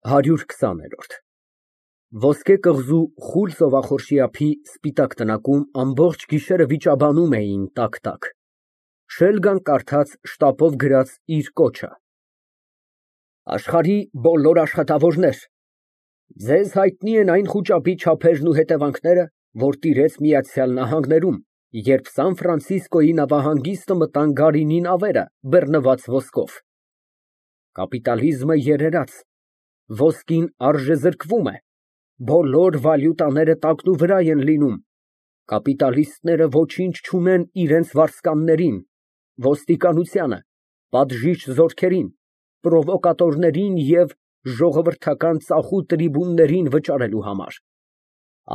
120։ Ոսկե կղզու խուլ ծովախորշի սպիտակ տնակում ամբողջ գիշերը վիճաբանում էին տակ֊տակ։ Շելգան կարդաց շտապով գրած իր կոչը։ Աշխարհի բոլոր աշխատավորներ, ձեզ հայտնի են այն խուճապի չափերն ու հետևանքները, որ տիրեց Միացյալ Նահանգներում, երբ Սան Ֆրանցիսկոյի նավահանգիստը մտան գարինի նավերը, բեռնված ոսկով։ Կապիտալիզմը երերաց, ոսկին արժեզրկվում է, բոլոր վալյուտաները տակնուվրա են լինում, կապիտալիստները ոչինչ չունեն իրենց վարձկաններին, ոստիկանությանը, պատժիչ զորքերին, պրովոկատորներին և ժողովրդական ծախու տրիբուններին վճարելու համար։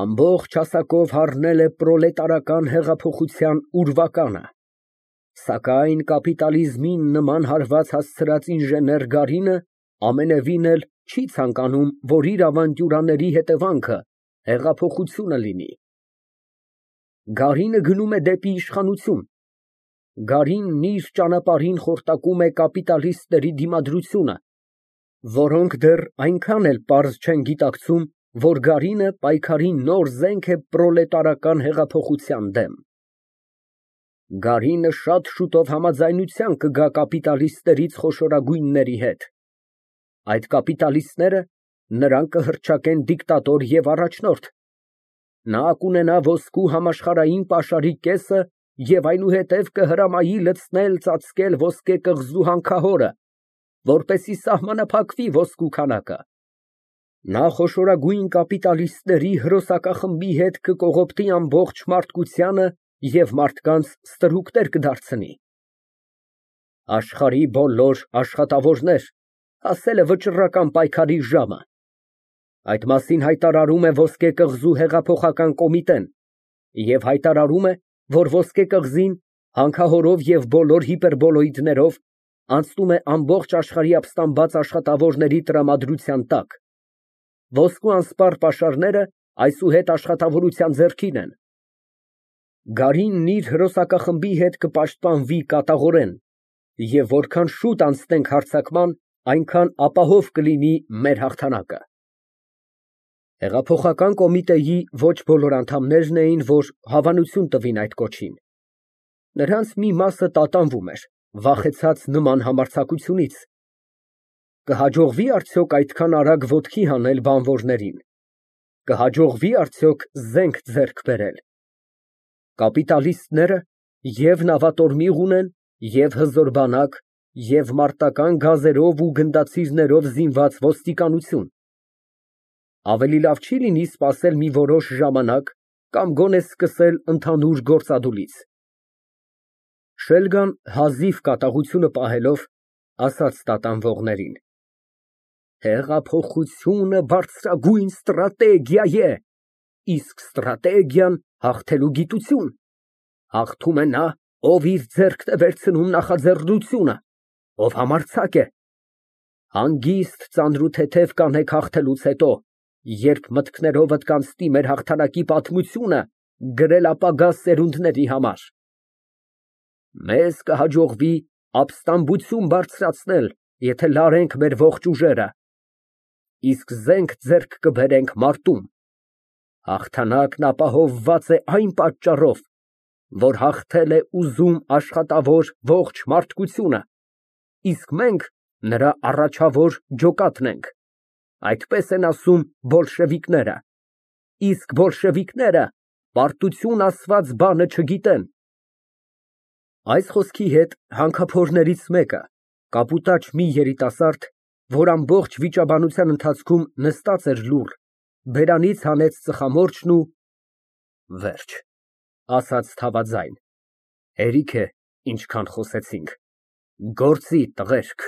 Ամբողջ հասակով հառնել է պրոլետարական հեղափոխության ուրվականը։ Սակայն կապիտալիզմին նման հարված հասցրած ինժեներ Գարինը ամենևին էլ չի ցանկանում, որ իր ավանտյուրաների հետևանքը հեղափոխությունը լինի։ Գարինը գնում է դեպի իշխանություն։ Գարինն իր ճանապարհին խորտակում է կապիտալիստների դիմադրությունը, որոնք դեռ այնքան էլ պարզ չեն գիտակցում, որ Գարինը պայքարի նոր զենք է պրոլետարական հեղափոխության դեմ։ Գարինը շատ շուտով համաձայնության կգա կապիտալիստներից խոշորագույնների հետ։ Այդ կապիտալիստները նրան կհռչակեն դիկտատոր և առաջնորդ։ Նա կունենա ոսկու համաշխարհային պաշարի կեսը և այնուհետև կհրամայի լցնել ծածկել ոսկե կղզու հանքահորը, որպեսզի սահմանափակվի ոսկու քանակը։ Նա խոշորագույն կապիտալիստների հրոսակախմբի հետ կկողոպտի ամբողջ մարդկությանը և մարդկանց ստրուկներ կդարձնի։ Աշխարհի բոլոր աշխատավորներ, հասել է վճռական պայքարի ժամը։ Այդ մասին հայտարարում է Ոսկե կղզու հեղափոխական կոմիտեն և հայտարարում է, որ Ոսկե կղզին հանքահորով և բոլոր հիպերբոլոիդներով անցնում է ամբողջ աշխարհի ապստամբած աշխատավորների տրամադրության տակ։ Ոսկու անսպառ պաշարները այսուհետ աշխատավորության ձեռքին են։ Գարինն իր հրոսակախմբի հետ կպաշտպանվի կատաղորեն, և որքան շուտ անցնենք հարձակման, այնքան ապահով կլինի մեր հաղթանակը։ Հեղափոխական կոմիտեի ոչ բոլոր անդամներն էին, որ հավանություն տվին այդ կոչին։ Նրանց մի մասը տատանվում էր, վախեցած նման համարձակությունից։ Կհաջողվի՞ արդյոք այդքան արագ ոտքի հանել բանվորներին։ Կհաջողվի՞ արդյոք զենք ձեռք բերել։ Կապիտալիստները և նավատորմիղ ունեն, և հզոր բանակ, և մարտական գազերով ու գնդացիրներով զինված ոստիկանություն։ Ավելի լավ չի՞ լինի սպասել մի որոշ ժամանակ կամ գոնե սկսել ընդհանուր գործադուլից։ Շելգան հազիվ կատաղությունը պահելով, ասաց տատանվողներին. Հեղափոխությունը բարձրագույն ստրատեգիա է, իսկ ստրատեգիան հաղթելու գիտություն։ Հաղթում է նա, ով իր ձեռքն է վերցնում նախաձեռնությունը, ով համարձակ է։ Հանգիստ ծանրութեթև կանեք հաղթելուց հետո, երբ մտքներովդ կանցնի մեր հաղթանակի պատմությունը գրել ապագա սերունդների համար։ Մեզ կհաջողվի ապստամբություն բարձրացնել, եթե լարենք մեր ողջ ուժերը, իսկ զենք ձեռք կբերենք մարտում։ Հաղթանակն ապահովված է այն պատճառով, որ հաղթել է ուզում աշխատավոր ողջ մարդկությունը, իսկ մենք նրա առաջավոր ջոկատն ենք։ Այդպես են ասում բոլշևիկները, իսկ բոլշևիկները պարտություն ասված բանը չգիտեն։ Այս խոսքի հետ հանքափորներից մեկը, կապուտաչ մի երիտասարդ, որ ամբողջ վիճաբանության ընթացքում նստած էր լուռ, բերանից հանեց ծխամորճն ու վերջ, ասաց թավաձայն, հերիք է ինչքան խոսեցինք, գործի տղերք։